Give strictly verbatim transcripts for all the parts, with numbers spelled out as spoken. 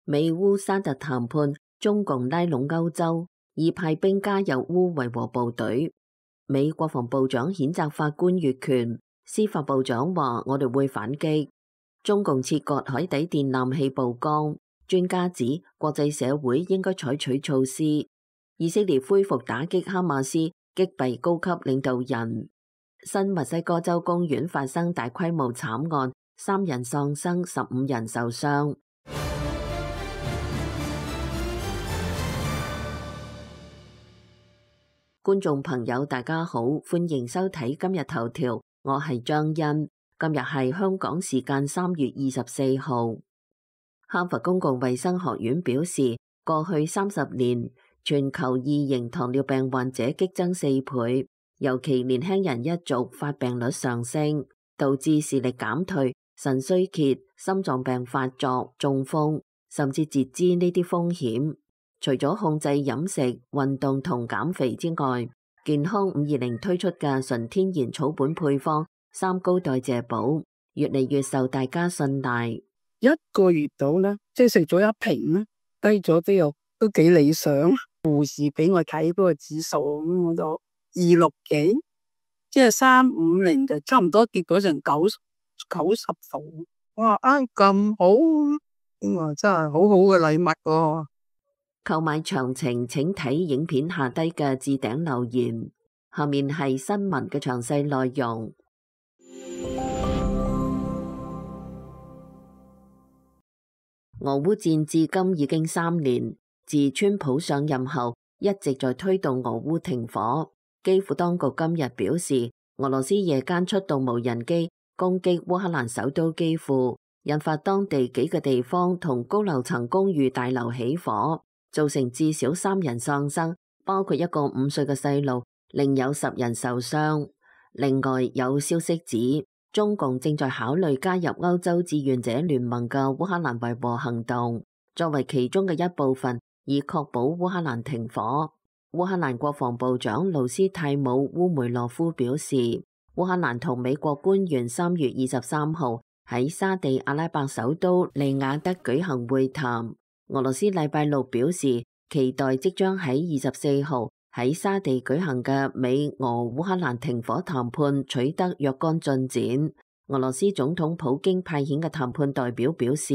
美烏沙特談判，中共拉攏歐洲，已派兵加入烏維和部隊。美國防部長譴責法官越權，司法部長話我哋會反擊。中共切割海底電纜氣曝光，專家指國際社會應該採取措施。以色列恢復打擊哈馬斯，擊斃高級領導人。新墨西哥州公園發生大規模慘案，三人喪生，十五人受傷。觀眾朋友大家好，歡迎收睇今日頭條，我係張欣。今日係香港時間三月二十四號。哈佛公共衛生學院表示，過去三十年全球二型糖尿病患者激增四倍，尤其年輕人一族發病率上升，導致視力減退、腎衰竭、心臟病發作、中風甚至截肢呢啲風險。除咗控制飲食、運動同減肥之外，健康五二零推出嘅純天然草本配方三高代謝寶越嚟越受大家信賴。一個月到咧，即係食咗一瓶咧，低咗啲又都幾理想。護士俾我睇嗰個指數，咁我就二六幾，即係三五零就差唔多跌咗成九九十度。哇！啊咁好，咁啊真係好好嘅禮物喎。購買詳情請睇影片下低嘅置頂留言，下面係新聞嘅詳細內容。俄烏戰至今已經三年，自川普上任後一直在推動俄烏停火。基輔當局今日表示，俄羅斯夜間出動無人機攻擊烏克蘭首都基輔，引發當地幾個地方同高樓層公寓大樓起火，造成至少三人喪生，包括一個五歲嘅細路，另有十人受傷。另外有消息指，中共正在考慮加入歐洲志願者聯盟嘅烏克蘭維和行動，作為其中嘅一部分，以確保烏克蘭停火。烏克蘭國防部長盧斯泰姆烏梅洛夫表示，烏克蘭同美國官員三月二十三號喺沙地阿拉伯首都利雅得舉行會談。俄羅斯禮拜六表示，期待即將喺二十四號喺沙地舉行嘅美俄烏克蘭停火談判取得若干進展。俄羅斯總統普京派遣嘅談判代表表示，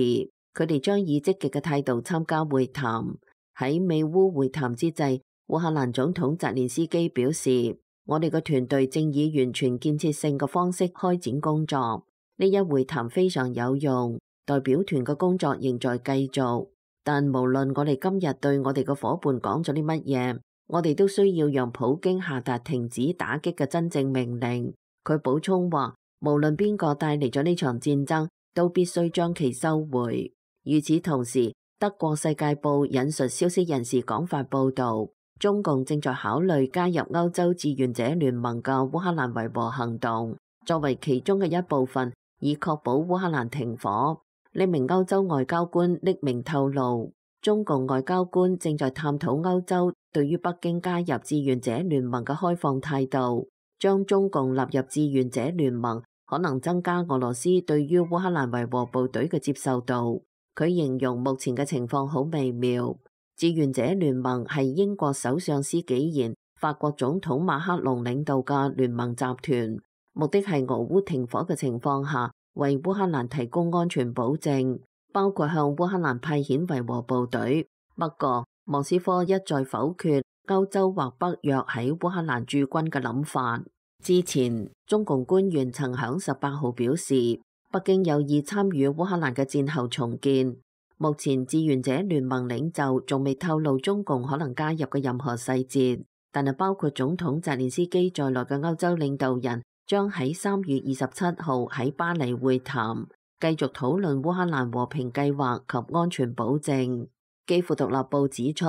佢哋將以積極嘅態度參加會談。喺美烏會談之際，烏克蘭總統澤連斯基表示，我哋嘅團隊正以完全建設性嘅方式開展工作。呢一會談非常有用，代表團嘅工作仍在繼續。但無論我哋今日對我哋嘅夥伴講咗啲乜嘢，我哋都需要讓普京下達停止打擊嘅真正命令。佢補充話，無論邊個帶嚟咗呢場戰爭，都必須將其收回。與此同時，德國世界報引述消息人士講法報道，中共正在考慮加入歐洲志願者聯盟嘅烏克蘭維和行動，作為其中嘅一部分，以確保烏克蘭停火。呢名歐洲外交官匿名透露，中共外交官正在探討歐洲對於北京加入志願者聯盟嘅開放態度。將中共納入志願者聯盟可能增加俄羅斯對於烏克蘭維和部隊嘅接受度。佢形容目前嘅情況好微妙。志願者聯盟係英國首相施紀賢、法國總統馬克龍領導嘅聯盟集團，目的係俄烏停火嘅情況下，為烏克蘭提供安全保證，包括向烏克蘭派遣維和部隊。不過，莫斯科一再否決歐洲或北約喺烏克蘭駐軍嘅諗法。之前，中共官員曾響十八號表示，北京有意參與烏克蘭嘅戰後重建。目前，志願者聯盟領袖仲未透露中共可能加入嘅任何細節，但係包括總統澤連斯基在內嘅歐洲領導人將喺三月二十七號喺巴黎會談，繼續討論烏克蘭和平計劃及安全保證。基輔獨立報指出，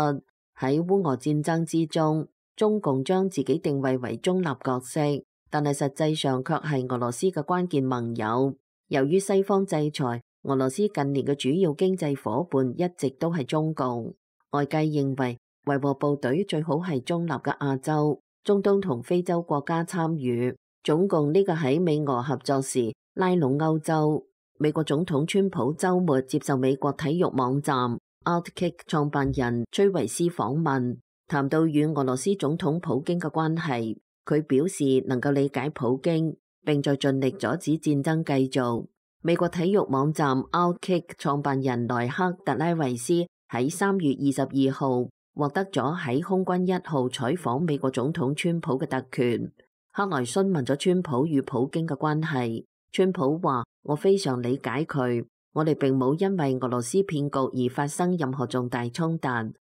喺烏俄戰爭之中，中共將自己定位為中立角色，但係實際上卻係俄羅斯嘅關鍵盟友。由於西方制裁，俄羅斯近年嘅主要經濟夥伴一直都係中共。外界認為維和部隊最好係中立嘅亞洲、中東同非洲國家參與。總共呢個喺美俄合作時拉攏歐洲。美國總統川普週末接受美國體育網站 Outkick 創辦人崔維斯訪問，談到與俄羅斯總統普京嘅關係，佢表示能夠理解普京，並在盡力阻止戰爭繼續。美國體育網站 Outkick 創辦人萊克特拉維斯喺三月二十二號獲得咗喺空軍一號採訪美國總統川普嘅特權。克萊詢問咗川普與普京嘅關係，川普話：我非常理解佢，我哋並冇因為俄羅斯騙局而發生任何重大衝突，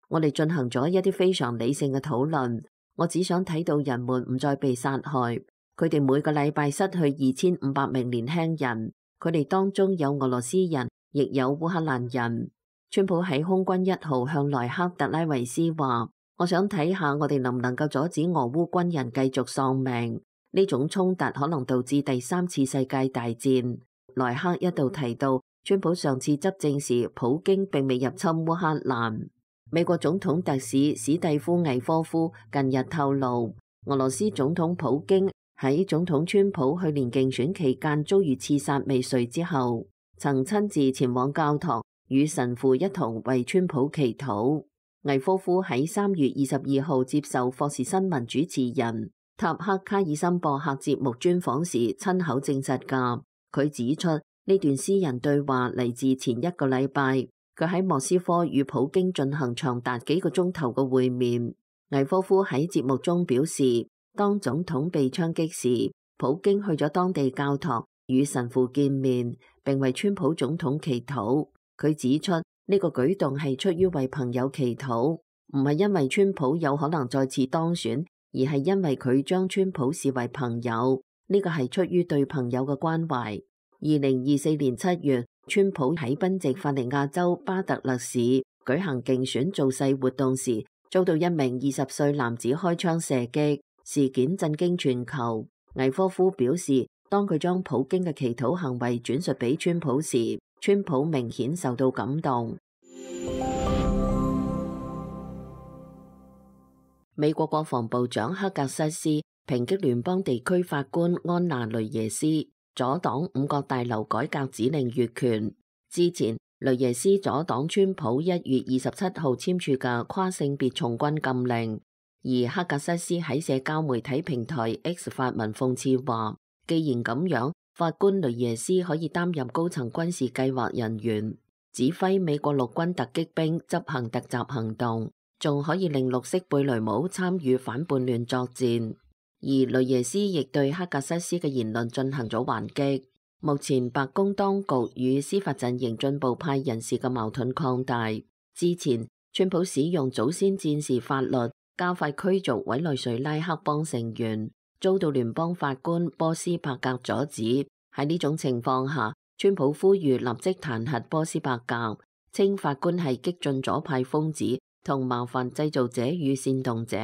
我哋進行咗一啲非常理性嘅討論。我只想睇到人們唔再被殺害。佢哋每個禮拜失去二千五百名年輕人，佢哋當中有俄羅斯人，亦有烏克蘭人。川普喺空軍一號向萊克特拉維斯話：我想睇下我哋能唔能夠阻止俄烏軍人繼續喪命。呢種衝突可能導致第三次世界大戰。萊克一度提到，川普上次執政時，普京並未入侵烏克蘭。美國總統特使史蒂夫·魏科夫近日透露，俄羅斯總統普京喺總統川普去年競選期間遭遇刺殺未遂之後，曾親自前往教堂與神父一同為川普祈禱。魏科夫喺三月二十二號接受霍士新聞主持人塔克卡爾森博客節目專訪時親口證實㗎。佢指出呢段私人對話嚟自前一個禮拜，佢喺莫斯科與普京進行長達幾個鐘頭嘅會面。魏科夫喺節目中表示，當總統被槍擊時，普京去咗當地教堂與神父見面，並為川普總統祈禱。佢指出呢個舉動係出於為朋友祈禱，唔係因為川普有可能再次當選，而係因為佢將川普視為朋友。呢個係出於對朋友嘅關懷。二零二四年七月，川普喺賓夕法尼亞州巴特勒市舉行競選造勢活動時，遭到一名二十歲男子開槍射擊，事件震驚全球。魏科夫表示，當佢將普京嘅祈禱行為轉述俾川普時，川普明顯受到感動。美國國防部長克格瑟斯抨擊聯邦地區法官安娜雷耶斯阻擋五角大樓改革指令越權。之前，雷耶斯阻擋川普一月二十七號簽署嘅跨性別從軍禁令，而克格瑟斯喺社交媒體平台 X 發文諷刺話，既然咁樣，法官雷耶斯可以擔任高層軍事計劃人員，指揮美國陸軍突擊兵執行突襲行動，仲可以令綠色貝雷帽參與反叛亂作戰。而雷耶斯亦對克格瑟斯嘅言論進行咗還擊。目前白宮當局與司法陣營進步派人士嘅矛盾擴大。之前，川普使用祖先戰士法律加快驅逐委內瑞拉黑幫成員，遭到聯邦法官波斯伯格阻止。喺呢種情況下，川普呼籲立即彈劾波斯伯格，稱法官係激進左派瘋子同麻煩製造者與煽動者。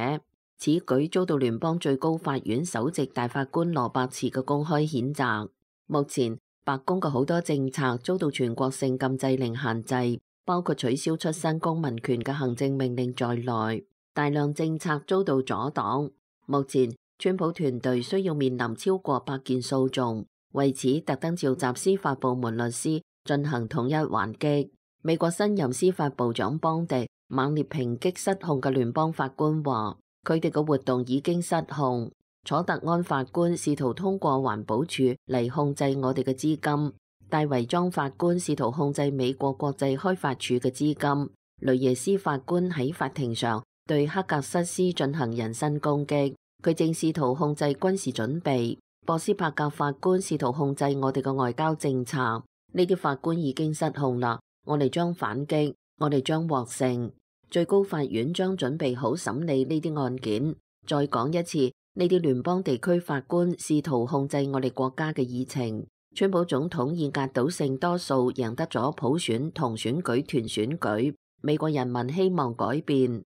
此舉遭到聯邦最高法院首席大法官羅伯茨嘅公開譴責。目前，白宮嘅好多政策遭到全國性禁制令限制，包括取消出身公民權嘅行政命令在內，大量政策遭到阻擋。目前，川普團隊需要面臨超過百件訴訟，為此特登召集司法部門律師進行統一還擊。美國新任司法部長邦迪猛烈抨擊失控嘅聯邦法官話，佢哋嘅活動已經失控。楚特安法官試圖通過環保署嚟控制我哋嘅資金，戴維莊法官試圖控制美國國際開發署嘅資金，雷耶斯法官喺法庭上對克格瑟斯進行人身攻擊，佢正試圖控制軍事準備。波斯伯格法官試圖控制我哋嘅外交政策，呢啲法官已經失控啦，我哋將反擊，我哋將獲勝。最高法院將準備好審理呢啲案件。再講一次，呢啲聯邦地區法官試圖控制我哋國家嘅議程。川普總統以壓倒性多數贏得咗普選同選舉團選舉，美國人民希望改變。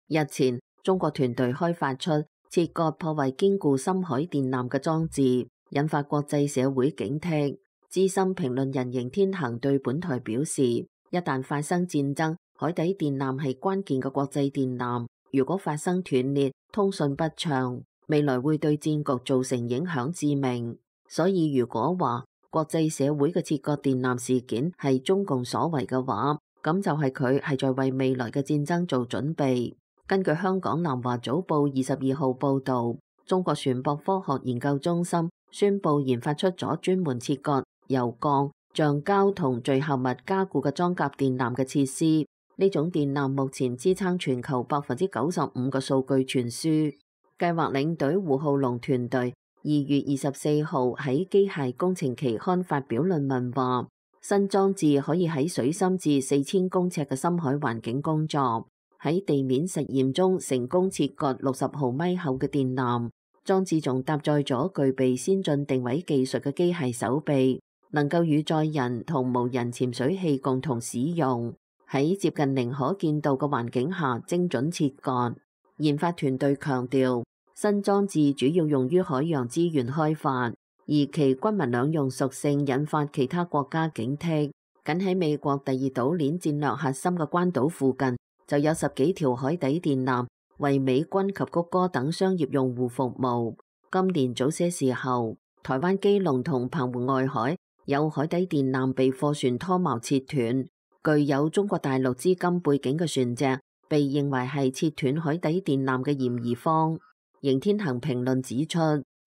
日前，中國團隊開發出切割破壞堅固深海電纜嘅裝置，引發國際社會警惕。資深評論人邢天行對本台表示，一旦發生戰爭，海底電纜係關鍵嘅國際電纜，如果發生斷裂，通訊不暢，未來會對戰局造成影響致命。所以如果話國際社會嘅切割電纜事件係中共所為嘅話，咁就係佢係在為未來嘅戰爭做準備。根據香港南華早報二十二號報導，中國船舶科學研究中心宣布研發出咗專門切割由鋼、橡膠同聚合物加固嘅裝甲電纜嘅設施。呢種電纜目前支撐全球百分之九十五嘅數據傳輸。計劃領隊胡浩龍團隊二月二十四號喺機械工程期刊發表論文話，新裝置可以喺水深至四千公尺嘅深海環境工作。喺地面實驗中成功切割六十毫米厚嘅電纜，裝置仲搭載咗具備先進定位技術嘅機械手臂，能夠與載人同無人潛水器共同使用，喺接近零可見度嘅環境下精準切割。研發團隊強調，新裝置主要用於海洋資源開發，而其軍民兩用屬性引發其他國家警惕。僅喺美國第二島鏈戰略核心嘅關島附近，就有十幾條海底電纜為美軍及谷歌等商業用戶服務。今年早些時候，台灣基隆同澎湖外海有海底電纜被貨船拖錨切斷，具有中國大陸資金背景嘅船隻被認為係切斷海底電纜嘅嫌疑方。邢天行評論指出，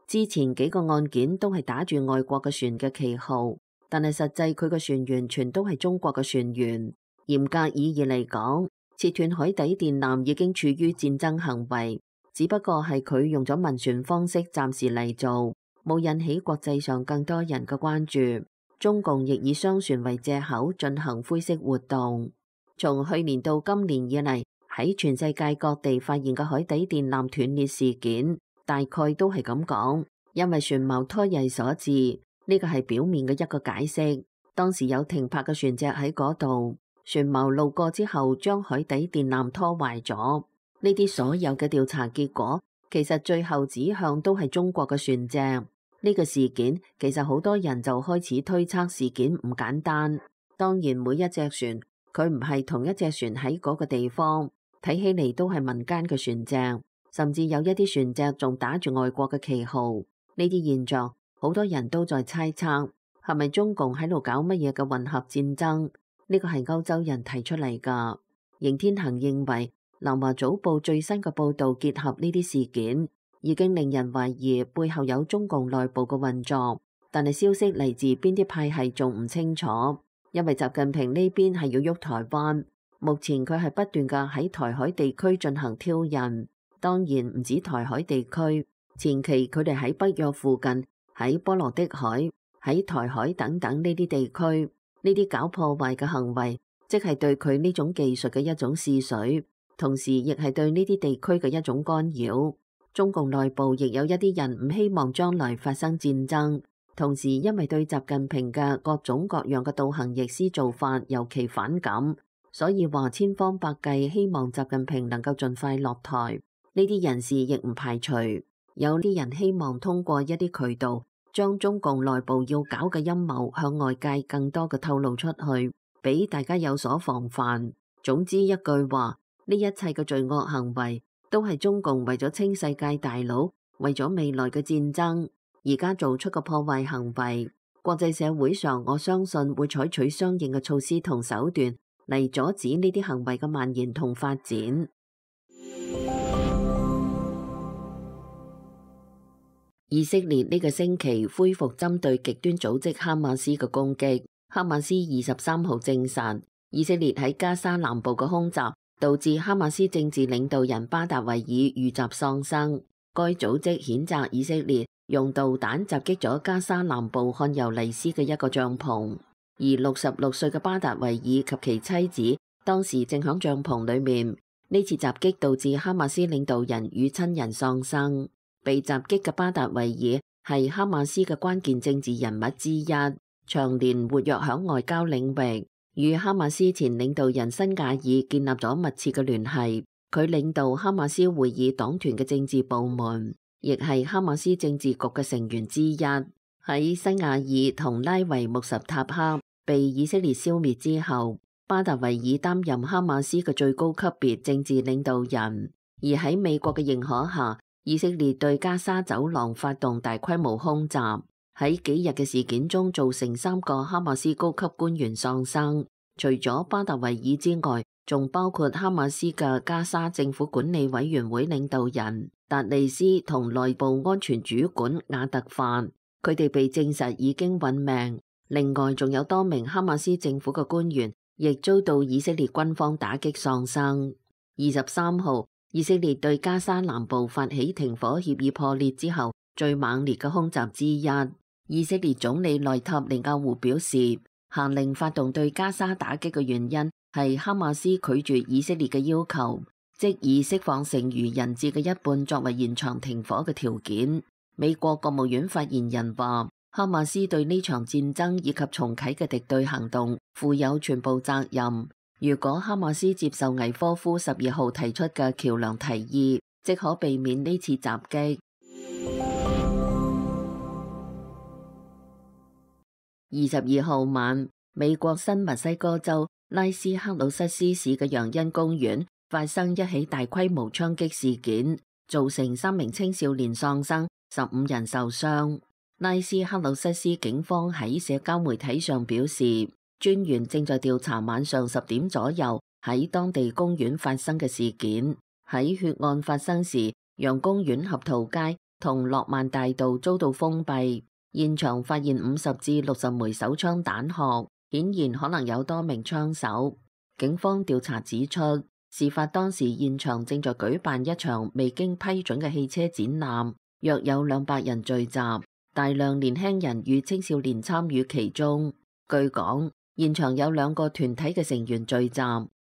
之前幾個案件都係打住外國嘅船嘅旗號，但係實際佢嘅船員全都係中國嘅船員。嚴格意義嚟講，切斷海底電纜已經處於戰爭行為，只不過係佢用咗民船方式暫時嚟做，冇引起國際上更多人嘅關注。中共亦以商船為借口進行灰色活動。從去年到今年以嚟，喺全世界各地發現嘅海底電纜斷裂事件，大概都係咁講，因為船錨拖曳所致。呢個係表面嘅一個解釋。當時有停泊嘅船隻喺嗰度，船錨路過之後，將海底電纜拖壞咗。呢啲所有嘅調查結果，其實最後指向都係中國嘅船隻。呢個事件其實好多人就開始推測事件唔簡單。當然，每一隻船佢唔係同一隻船喺嗰個地方。睇起嚟都係民間嘅船隻，甚至有一啲船隻仲打住外國嘅旗號。呢啲現象，好多人都在猜測，係咪中共喺度搞乜嘢嘅混合戰爭？呢個係歐洲人提出嚟㗎。邢天行認為，南華早報最新嘅報導結合呢啲事件，已經令人懷疑背後有中共內部嘅運作，但係消息嚟自邊啲派系仲唔清楚，因為習近平呢邊係要喐台灣。目前佢係不斷嘅喺台海地區進行挑釁，當然唔止台海地區，前期佢哋喺北約附近、喺波羅的海、喺台海等等呢啲地區，呢啲搞破壞嘅行為，即係對佢呢種技術嘅一種試水，同時亦係對呢啲地區嘅一種干擾。中共內部亦有一啲人唔希望將來發生戰爭，同時因為對習近平嘅各種各樣嘅倒行逆施做法尤其反感。所以話千方百計希望習近平能夠盡快落台。呢啲人士亦唔排除有啲人希望通過一啲渠道將中共內部要搞嘅陰謀向外界更多嘅透露出去，俾大家有所防範。總之一句話，呢一切嘅罪惡行為都係中共為咗清世界大佬，為咗未來嘅戰爭而家做出嘅破壞行為。國際社會上我相信會採取相應嘅措施同手段嚟阻止呢啲行為嘅蔓延同發展。以色列呢個星期恢復針對極端組織哈馬斯嘅攻擊。哈馬斯二十三號證實，以色列喺加沙南部嘅空襲導致哈馬斯政治領導人巴達維爾遇襲喪生。該組織譴責以色列用導彈襲擊咗加沙南部漢尤尼斯嘅一個帳篷。而六十六歲嘅巴達維爾及其妻子當時正響帳篷裏面。呢次襲擊導致哈馬斯領導人與親人喪生。被襲擊嘅巴達維爾係哈馬斯嘅關鍵政治人物之一，長年活躍響外交領域，與哈馬斯前領導人辛瓦爾建立咗密切嘅聯繫。佢領導哈馬斯會議黨團嘅政治部門，亦係哈馬斯政治局嘅成員之一。喺辛瓦爾同拉維穆什塔克被以色列消滅之後，巴達維爾擔任哈馬斯嘅最高級別政治領導人。而喺美國嘅認可下，以色列對加沙走廊發動大規模空襲。喺幾日嘅事件中，造成三個哈馬斯高級官員喪生，除咗巴達維爾之外，仲包括哈馬斯嘅加沙政府管理委員會領導人達利斯同內部安全主管亞特範，佢哋被證實已經殞命。另外，仲有多名哈馬斯政府嘅官員亦遭到以色列軍方打擊喪生。二十三號，以色列對加沙南部發起停火協議破裂之後最猛烈嘅空襲之一。以色列總理內塔尼亞胡表示，下令發動對加沙打擊嘅原因係哈馬斯拒絕以色列嘅要求，即以釋放剩餘人質嘅一半作為延長停火嘅條件。美國國務院發言人話，哈馬斯對呢場戰爭以及重啟嘅敵對行動負有全部責任。如果哈馬斯接受魏科夫十二號提出嘅橋梁提議，即可避免呢次襲擊。二十二號晚，美國新墨西哥州拉斯克魯塞斯市嘅楊恩公園發生一起大規模槍擊事件，造成三名青少年喪生，十五人受傷。拉斯克魯塞斯警方喺社交媒體上表示，專員正在調查晚上十點左右喺當地公園發生嘅事件。喺血案發生時，楊公園合桃街同諾曼大道遭到封閉。現場發現五十至六十枚手槍彈殼，顯然可能有多名槍手。警方調查指出，事發當時現場正在舉辦一場未經批准嘅汽車展覽，約有兩百人聚集，大量年輕人與青少年參與其中。據講，現場有兩個團體嘅成員聚集，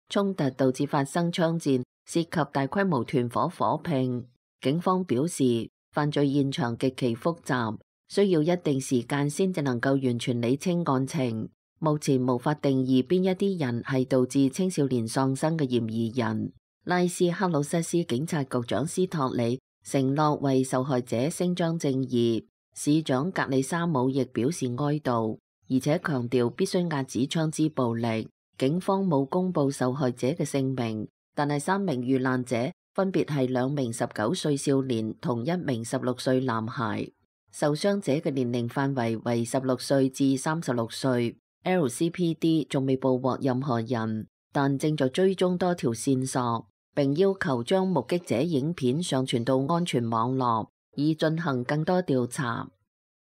衝突導致發生槍戰，涉及大規模團伙火拼。警方表示，犯罪現場極其複雜，需要一定時間先至能夠完全理清案情。目前無法定義邊一啲人係導致青少年喪生嘅嫌疑人。拉斯克魯塞斯警察局長斯托里承諾為受害者伸張正義，市長格里沙姆亦表示哀悼，而且強調必須遏止槍支暴力。警方冇公布受害者嘅姓名，但係三名遇難者分別係兩名十九歲少年同一名十六歲男孩。受傷者嘅年齡範圍為十六歲至三十六歲。L C P D 仲未捕獲任何人，但正在追蹤多條線索，並要求將目擊者影片上傳到安全網絡，以進行更多調查。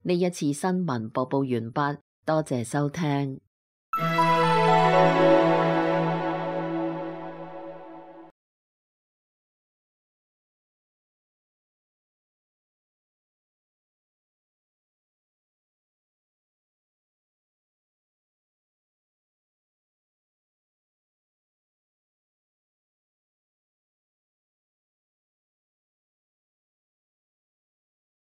呢一次新聞播報完畢，多謝收聽。